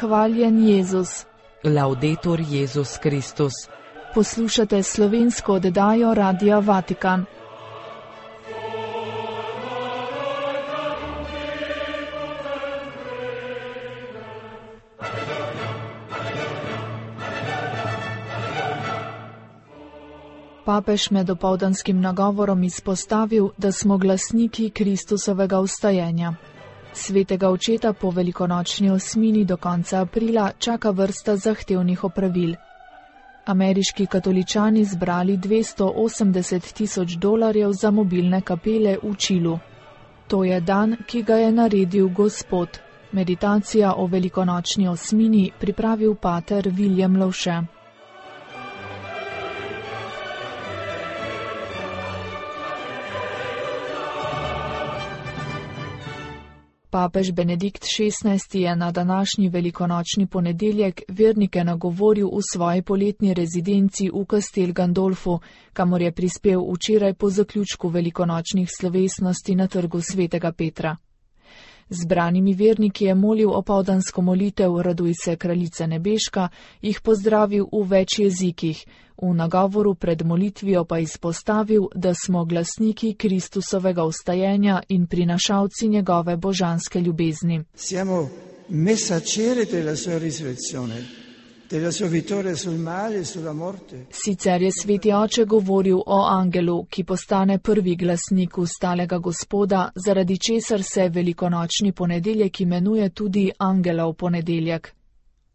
Hvaljen Jezus. Laudetur Jezus Kristus. Poslušate slovensko oddajo Radia Vatikan. Papež med opoldanskim nagovorom izpostavil, da smo glasniki Kristusovega vstajenja. Svetega očeta po velikonočni osmini do konca aprila čaka vrsta zahtevnih opravil. Ameriški katoličani zbrali $280,000 za mobilne kapele v Čilu. To je dan, ki ga je naredil Gospod. Meditacija o velikonočni osmini pripravil pater William Lovše. Papež Benedikt XVI je na današnji velikonočni ponedeljek vernike nagovoril v svoji poletni rezidenci v Castel Gandolfu, kamor je prispel včeraj po zaključku velikonočnih slovesnosti na trgu Svetega Petra. Zbranimi verniki je molil opoldansko molitev Raduj se, kraljice nebeška, jih pozdravil v več jezikih, v nagovoru pred molitvijo pa izpostavil, da smo glasniki Kristusovega vstajenja in prinašalci njegove božanske ljubezni. Siamo messaggeri della sua risurrezione, della sua vittoria sul male e sulla morte. Sicer je sveti oče govoril o angelu, ki postane prvi glasnik vstalega Gospoda, zaradi česar se velikonočni ponedeljek imenuje tudi angelov ponedeljek.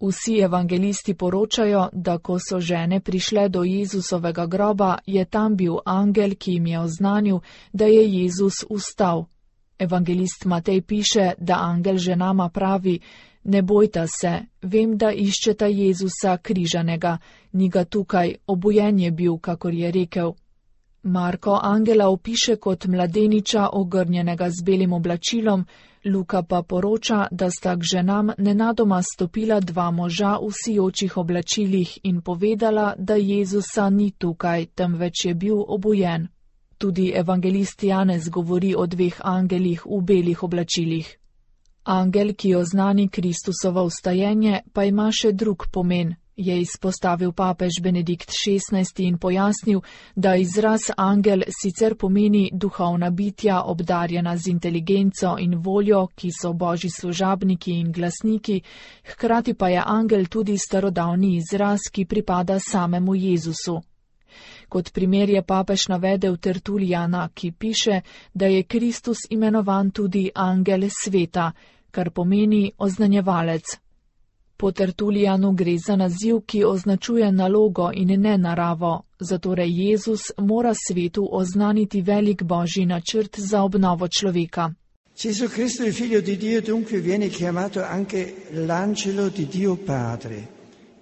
Vsi evangelisti poročajo, da ko so žene prišle do Jezusovega groba, je tam bil angel, ki jim je oznanil, da je Jezus vstal. Evangelist Matej piše, da angel ženama pravi: ne bojta se, vem, da iščeta Jezusa križanega, ni ga tukaj, obujen je bil, kakor je rekel. Marko angela opiše kot mladeniča, ogrnjenega z belim oblačilom, Luka pa poroča, da sta k ženam nenadoma stopila dva moža v sijočih oblačilih in povedala, da Jezusa ni tukaj, temveč je bil obujen. Tudi evangelist Janez govori o dveh angelih v belih oblačilih. Angel, ki oznani Kristusovo vstajenje, pa ima še drug pomen, je izpostavil papež Benedikt XVI in pojasnil, da izraz angel sicer pomeni duhovna bitja, obdarjena z inteligenco in voljo, ki so božji služabniki in glasniki, hkrati pa je angel tudi starodavni izraz, ki pripada samemu Jezusu. Kot primer je papež navedel Tertulijana, ki piše, da je Kristus imenovan tudi angel sveta, kar pomeni oznanjevalec. Po Tertulijanu gre za naziv, ki označuje nalogo in ne naravo, zatorej Jezus mora svetu oznaniti velik božji načrt za obnovo človeka. Gesù Cristo, il figlio di Dio, dunque viene chiamato anche l'angelo di Dio Padre.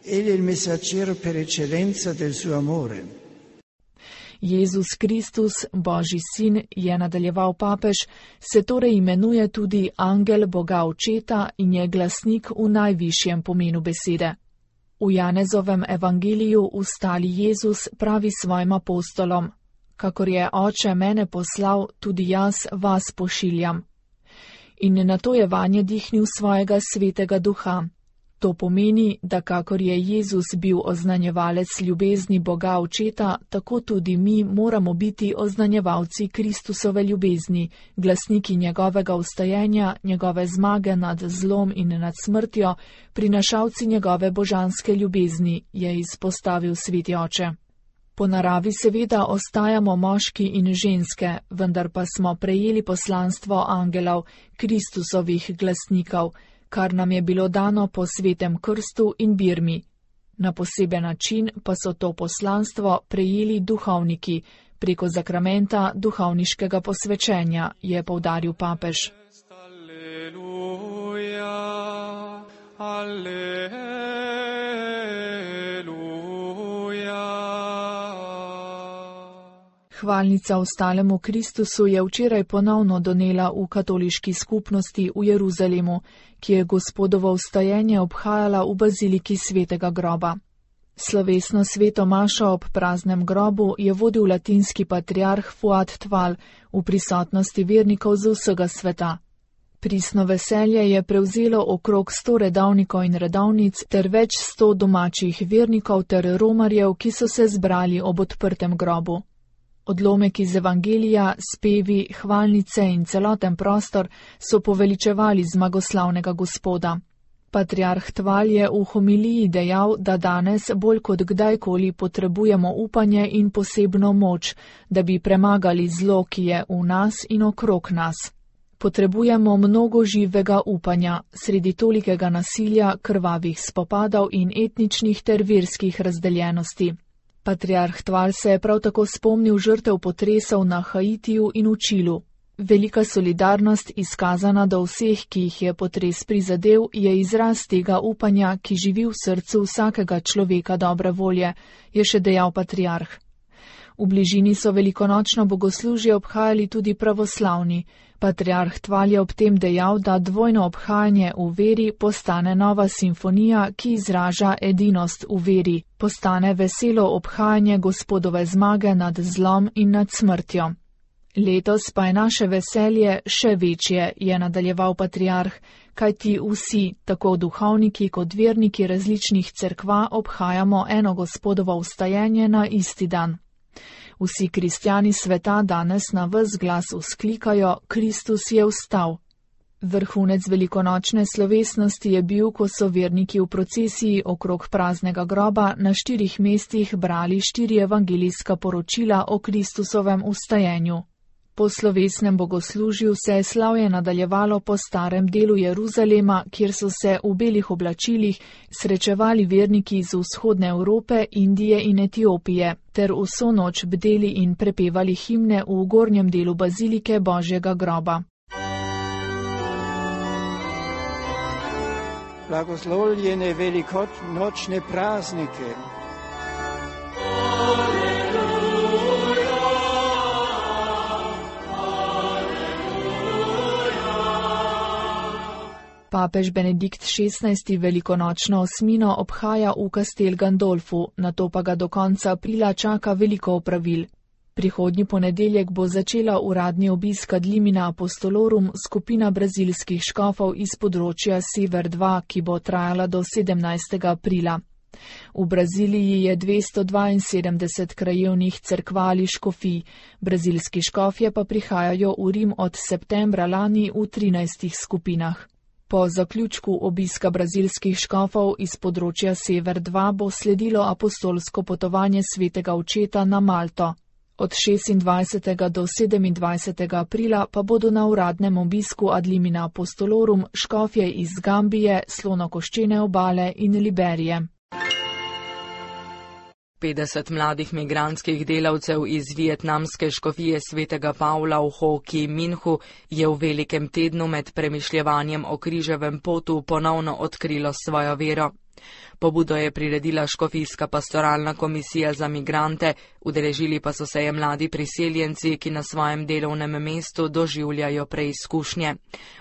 Egli è il messaggero per eccellenza del suo amore. Jezus Kristus, Božji sin, je nadaljeval papež, se torej imenuje tudi angel Boga Očeta in je glasnik v najvišjem pomenu besede. V Janezovem evangeliju vstali Jezus pravi svojim apostolom: kakor je Oče mene poslal, tudi jaz vas pošiljam. In nato je vanje dihnil svojega svetega duha. To pomeni, da kakor je Jezus bil oznanjevalec ljubezni Boga Očeta, tako tudi mi moramo biti oznanjevalci Kristusove ljubezni, glasniki njegovega vstajenja, njegove zmage nad zlom in nad smrtjo, prinašalci njegove božanske ljubezni, je izpostavil sveti oče. Po naravi seveda ostajamo moški in ženske, vendar pa smo prejeli poslanstvo angelov, Kristusovih glasnikov, kar nam je bilo dano po svetem krstu in birmi. Na poseben način pa so to poslanstvo prejeli duhovniki, preko zakramenta duhovniškega posvečenja, je poudaril papež. Alleluja, alleluja. Hvalnica vstalemu Kristusu je včeraj ponovno donela v katoliški skupnosti v Jeruzalemu, ki je Gospodovo vstajenje obhajala v baziliki Svetega groba. Slovesno sveto mašo ob praznem grobu je vodil latinski patriarh Fuad Tval v prisotnosti vernikov z vsega sveta. Pristno veselje je prevzelo okrog 100 redavnikov in redavnic ter več 100 domačih vernikov ter romarjev, ki so se zbrali ob odprtem grobu. Odlomek iz evangelija, spevi, hvalnice in celoten prostor so poveličevali zmagoslavnega Gospoda. Patriarh Tval je v homiliji dejal, da danes bolj kot kdajkoli potrebujemo upanje in posebno moč, da bi premagali zlo, ki je v nas in okrog nas. Potrebujemo mnogo živega upanja, sredi tolikega nasilja, krvavih spopadov in etničnih ter verskih razdeljenosti. Patriarh Tval se je prav tako spomnil žrtev potresov na Haitiju in v Čilu. Velika solidarnost, izkazana do vseh, ki jih je potres prizadel, je izraz tega upanja, ki živi v srcu vsakega človeka dobre volje, je še dejal patriarh. V bližini so velikonočno bogoslužje obhajali tudi pravoslavni. Patriarh Tval je ob tem dejal, da dvojno obhajanje v veri postane nova simfonija, ki izraža edinost v veri, postane veselo obhajanje Gospodove zmage nad zlom in nad smrtjo. Letos pa je naše veselje še večje, je nadaljeval patriarh, kajti vsi, tako duhovniki kot verniki različnih cerkva, obhajamo eno Gospodovo vstajenje na isti dan. Vsi kristjani sveta danes na ves glas vzklikajo: Kristus je vstal. Vrhunec velikonočne slovesnosti je bil, ko so verniki v procesiji okrog praznega groba na 4 mestih brali 4 evangelijska poročila o Kristusovem vstajenju. Po slovesnem bogoslužju se je slavje nadaljevalo po starem delu Jeruzalema, kjer so se v belih oblačilih srečevali verniki iz vzhodne Evrope, Indije in Etiopije, ter vso noč bdeli in prepevali himne v gornjem delu bazilike Božjega groba. Blagoslovljene velikonočne praznike. Papež Benedikt XVI. Velikonočno osmino obhaja v Castel Gandolfu, nato pa ga do konca aprila čaka veliko opravil. Prihodnji ponedeljek bo začela uradni obisk ad limina apostolorum skupina brazilskih škofov iz področja Sever 2, ki bo trajala do 17. aprila. V Braziliji je 272 krajevnih cerkva ali škofij, brazilski škofje pa prihajajo v Rim od septembra lani v 13 skupinah. Po zaključku obiska brazilskih škofov iz področja Sever 2 bo sledilo apostolsko potovanje svetega očeta na Malto. Od 26. do 27. aprila pa bodo na uradnem obisku ad limina apostolorum škofje iz Gambije, Slonokoščene obale in Liberije. 50 mladih migrantskih delavcev iz vietnamske škofije svetega Pavla v Ho Chi Minhu je v velikem tednu med premišljevanjem o križevem potu ponovno odkrilo svojo vero. Pobudo je priredila škofijska pastoralna komisija za migrante, udeležili pa so se je mladi priseljenci, ki na svojem delovnem mestu doživljajo preizkušnje.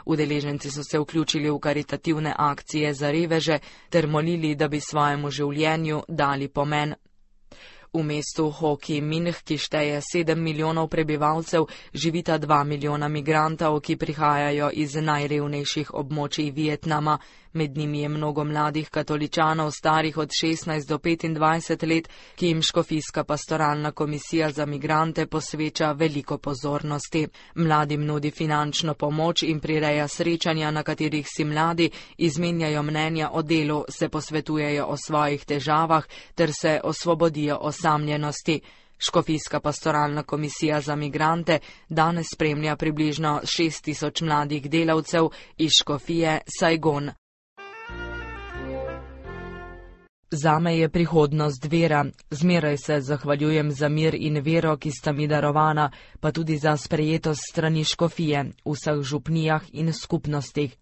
Udeleženci so se vključili v karitativne akcije za reveže ter molili, da bi svojemu življenju dali pomen. V mestu Ho Chi Minh, ki šteje 7 milijonov prebivalcev, živita 2 milijona migrantov, ki prihajajo iz najrevnejših območij Vietnama. Med njimi je mnogo mladih katoličanov, starih od 16 do 25 let, ki jim škofijska pastoralna komisija za migrante posveča veliko pozornosti. Mladim nudi finančno pomoč in prireja srečanja, na katerih si mladi izmenjajo mnenja o delu, se posvetujejo o svojih težavah ter se osvobodijo osamljenosti. Škofijska pastoralna komisija za migrante danes spremlja približno 6000 mladih delavcev iz škofije Saigon. Zame je prihodnost vera. Zmeraj se zahvaljujem za mir in vero, ki sta mi darovana, pa tudi za sprejetost strani škofije, v vseh župnijah in skupnostih.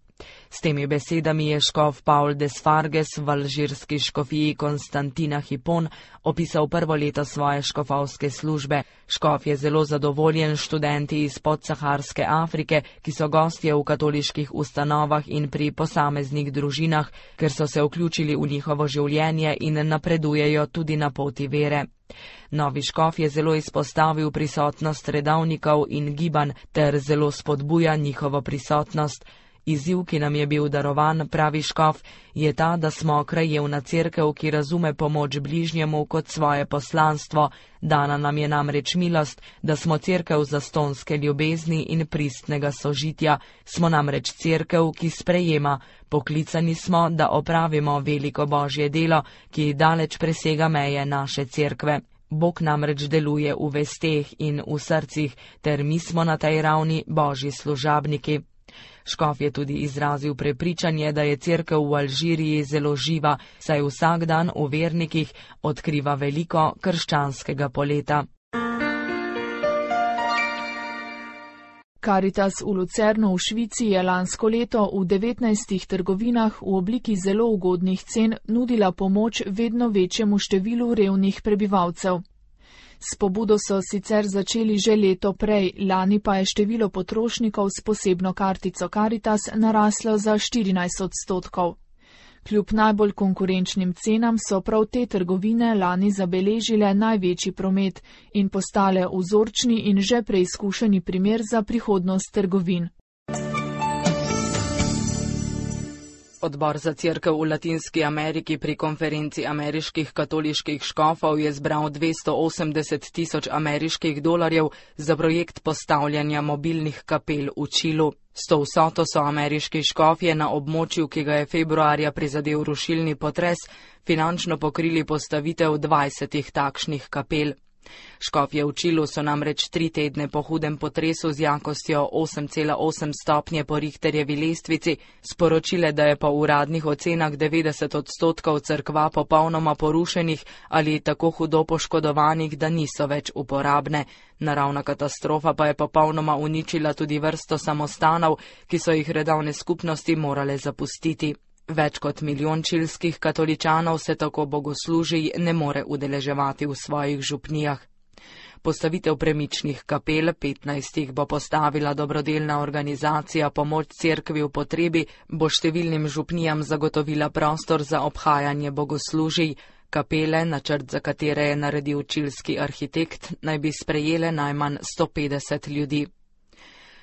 S temi besedami je škof Paul Desfarges v alžirski škofiji Konstantina Hipon opisal prvo leto svoje škofovske službe. Škof je zelo zadovoljen s študenti iz podsaharske Afrike, ki so gostje v katoliških ustanovah in pri posameznih družinah, ker so se vključili v njihovo življenje in napredujejo tudi na poti vere. Novi škof je zelo izpostavil prisotnost redavnikov in gibanj ter zelo spodbuja njihovo prisotnost. Izziv, ki nam je bil darovan, pravi škof, je ta, da smo krajevna cerkev, ki razume pomoč bližnjemu kot svoje poslanstvo. Dana nam je namreč milost, da smo cerkev zastonske ljubezni in pristnega sožitja. Smo namreč cerkev, ki sprejema. Poklicani smo, da opravimo veliko božje delo, ki daleč presega meje naše cerkve. Bog namreč deluje v vesteh in v srcih, ter mi smo na tej ravni božji služabniki. Škof je tudi izrazil prepričanje, da je cerkev v Alžiriji zelo živa, saj vsak dan v vernikih odkriva veliko krščanskega poleta. Karitas v Lucernu v Švici je lansko leto v 19 trgovinah v obliki zelo ugodnih cen nudila pomoč vedno večjemu številu revnih prebivalcev. S pobudo so sicer začeli že leto prej, lani pa je število potrošnikov s posebno kartico Karitas naraslo za 14%. Kljub najbolj konkurenčnim cenam so prav te trgovine lani zabeležile največji promet in postale vzorčni in že preizkušeni primer za prihodnost trgovin. Odbor za cerkev v Latinski Ameriki pri konferenci ameriških katoliških škofov je zbral 280 tisoč ameriških dolarjev za projekt postavljanja mobilnih kapel v Čilu. S to vsoto so ameriški škofje na območju, ki ga je februarja prizadel rušilni potres, finančno pokrili postavitev 20 takšnih kapel. Škofje v Čilu so namreč 3 tedne po hudem potresu z jakostjo 8,8 stopnje po Richterjevi lestvici sporočile, da je po uradnih ocenah 90% cerkva popolnoma porušenih ali tako hudo poškodovanih, da niso več uporabne. Naravna katastrofa pa je popolnoma uničila tudi vrsto samostanov, ki so jih redovne skupnosti morale zapustiti. Več kot 1 milijon čilskih katoličanov se tako bogoslužij ne more udeleževati v svojih župnijah. Postavitev premičnih kapel, 15 bo postavila dobrodelna organizacija Pomoč cerkvi v potrebi, bo številnim župnijam zagotovila prostor za obhajanje bogoslužij. Kapele, načrt za katere je naredil čilski arhitekt, naj bi sprejele najmanj 150 ljudi.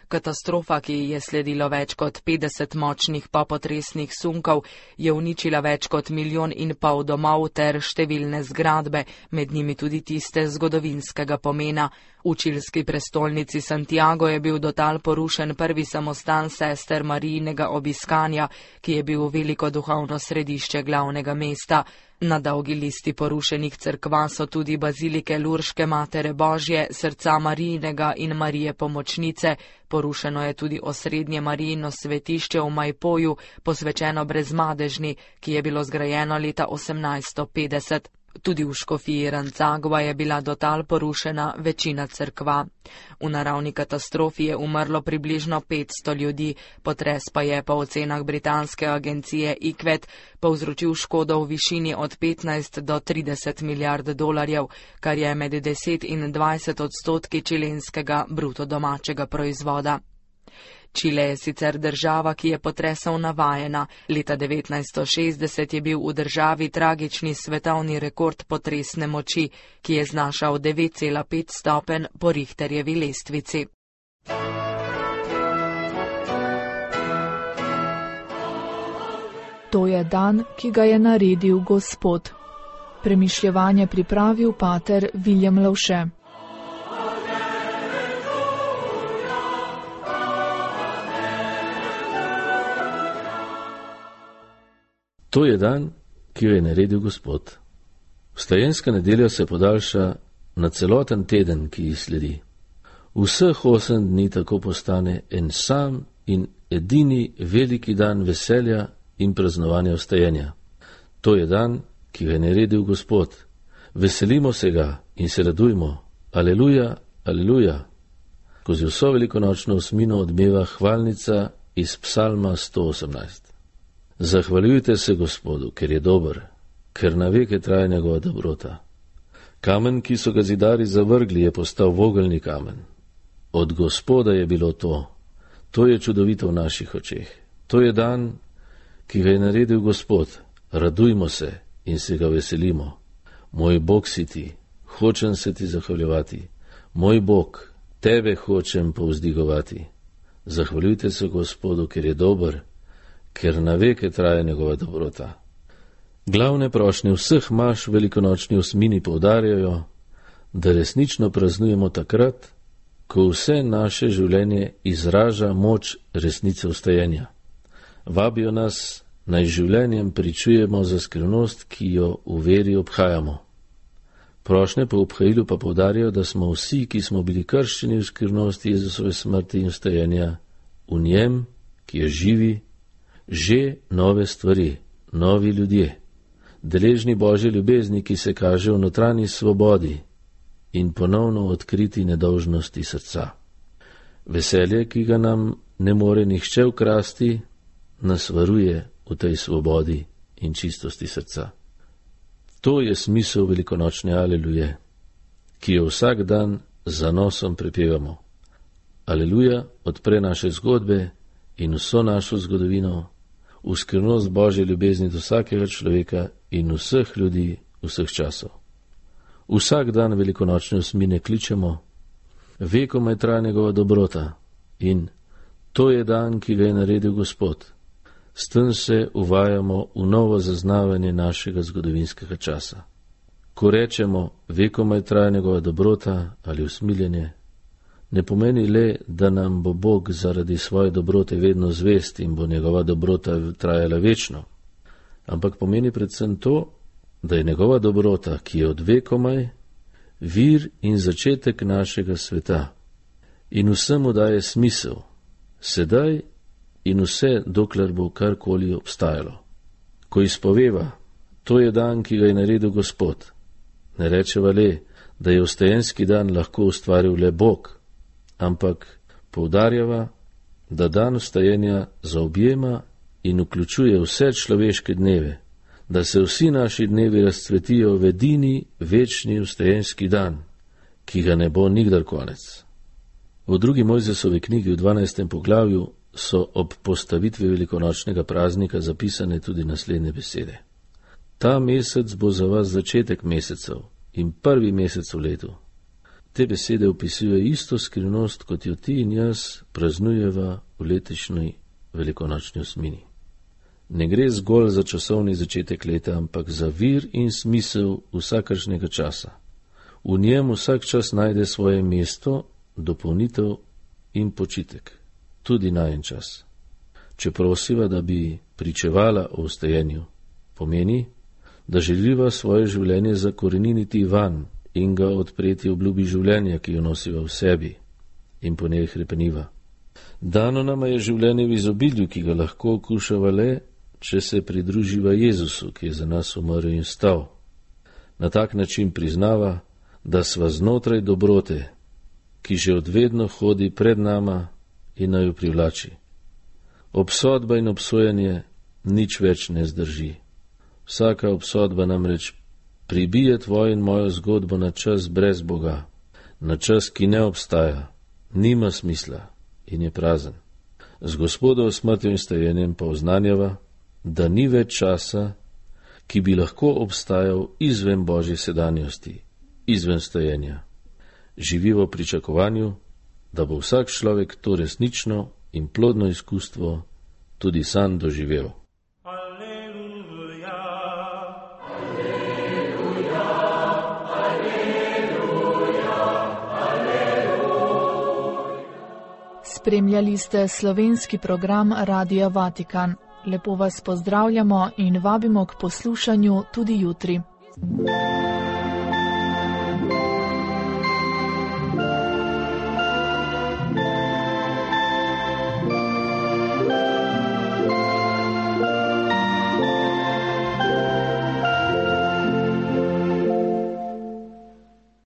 Katastrofa, ki je sledilo več kot 50 močnih popotresnih sunkov, je uničila več kot 1,5 milijona domov ter številne zgradbe, med njimi tudi tiste zgodovinskega pomena. V čilski prestolnici Santiago je bil do tal porušen prvi samostan sester Marijinega obiskanja, ki je bil veliko duhovno središče glavnega mesta. Na dolgi listi porušenih cerkva so tudi bazilike Lurške Matere Božje, Srca Marijinega in Marije Pomočnice. Porušeno je tudi osrednje Marijino svetišče v Majpoju, posvečeno Brezmadežni, ki je bilo zgrajeno leta 1850. Tudi v škofiji Rancagua je bila do tal porušena večina cerkva. V naravni katastrofi je umrlo približno 500 ljudi, potres pa je po ocenah britanske agencije IQVET povzročil škodo v višini od 15 do 30 milijard dolarjev, kar je med 10 in 20% čilenskega bruto domačega proizvoda. Čile je sicer država, ki je potresov navajena. Leta 1960 je bil v državi tragični svetovni rekord potresne moči, ki je znašal 9,5 stopenj po Richterjevi lestvici. To je dan, ki ga je naredil Gospod. Premišljevanje pripravil pater Viljem Lovše. To je dan, ki jo je naredil Gospod. Vstajenska nedelja se podaljša na celoten teden, ki ji sledi. Vseh 8 dni tako postane en sam in edini veliki dan veselja in praznovanja vstajenja. To je dan, ki ga je naredil Gospod. Veselimo se ga in se radujmo. Aleluja, aleluja. Skozi vso velikonočno osmino odmeva hvalnica iz psalma 118. Zahvaljujte se Gospodu, ker je dober, ker na veke traja njegova dobrota. Kamen, ki so ga zidarji zavrgli, je postal vogelni kamen. Od Gospoda je bilo to. To je čudovito v naših očeh. To je dan, ki ga je naredil Gospod. Radujmo se in se ga veselimo. Moj Bog si ti, hočem se ti zahvaljevati. Moj Bog, tebe hočem povzdigovati. Zahvaljujte se Gospodu, ker je dober, ker na veke traja njegova dobrota. Glavne prošnje vseh maš velikonočni osmini poudarjajo, da resnično praznujemo takrat, ko vse naše življenje izraža moč resnice vstajenja. Vabijo nas, naj življenjem pričujemo za skrivnost, ki jo v veri obhajamo. Prošnje po obhajilu pa poudarjajo, da smo vsi, ki smo bili krščeni v skrivnosti Jezusove smrti in vstajenja, v njem, ki je živi, že nove stvari, novi ljudje, deležni Božje ljubezni, ki se kaže v notranji svobodi in ponovno odkriti nedolžnosti srca. Veselje, ki ga nam ne more nihče ukrasti, nas varuje v tej svobodi in čistosti srca. To je smisel velikonočne Aleluje, ki jo vsak dan z zanosom prepevamo. Aleluja odpre naše zgodbe in vso našo zgodovino v skrivnost Božje ljubezni do vsakega človeka in vseh ljudi vseh časov. Vsak dan velikonočne osmine kličemo, vekomaj traja njegova dobrota in to je dan, ki ga je naredil Gospod. S tem se uvajamo v novo zaznavanje našega zgodovinskega časa. Ko rečemo, vekomaj traja njegova dobrota ali usmiljenje, ne pomeni le, da nam bo Bog zaradi svoje dobrote vedno zvest in bo njegova dobrota trajala večno, ampak pomeni predvsem to, da je njegova dobrota, ki je od vekomaj, vir in začetek našega sveta in vsemu daje smisel, sedaj in vse, dokler bo karkoli obstajalo. Ko izpoveva, to je dan, ki ga je naredil Gospod, ne rečeva le, da je vstajenski dan lahko ustvaril le Bog, ampak poudarjava, da dan vstajenja zaobjema in vključuje vse človeške dneve, da se vsi naši dnevi razcvetijo v edini večni vstajenski dan, ki ga ne bo nikdar konec. V drugi Mojzesovi knjigi v 12. poglavju so ob postavitvi velikonočnega praznika zapisane tudi naslednje besede. Ta mesec bo za vas začetek mesecev in prvi mesec v letu. Te besede opisuje isto skrivnost, kot jo ti in jaz praznujeva v letošnji velikonočni osmini. Ne gre zgolj za časovni začetek leta, ampak za vir in smisel vsakršnega časa. V njem vsak čas najde svoje mesto, dopolnitev in počitek, tudi najen čas. Če prosiva, da bi pričevala o vstajenju, pomeni, da želiva svoje življenje zakoreniniti van in ga odpreti obljubi življenja, ki jo nosiva v sebi in po njej hrepeniva. Dano nama je življenje v izobilju, ki ga lahko okušava le, če se pridruživa Jezusu, ki je za nas umrl in vstal. Na tak način priznava, da sva znotraj dobrote, ki že odvedno hodi pred nama in naj jo privlači. Obsodba in obsojanje nič več ne zdrži. Vsaka obsodba namreč pribije tvojo in mojo zgodbo na čas brez Boga, na čas, ki ne obstaja, nima smisla in je prazen. Z Gospodovo smrtjo in stajenjem pa oznanjava, da ni več časa, ki bi lahko obstajal izven Božje sedanjosti, izven stajenja. Živivo v pričakovanju, da bo vsak človek to resnično in plodno izkustvo tudi sam doživel. Spremljali ste slovenski program Radia Vatikan. Lepo vas pozdravljamo in vabimo k poslušanju tudi jutri.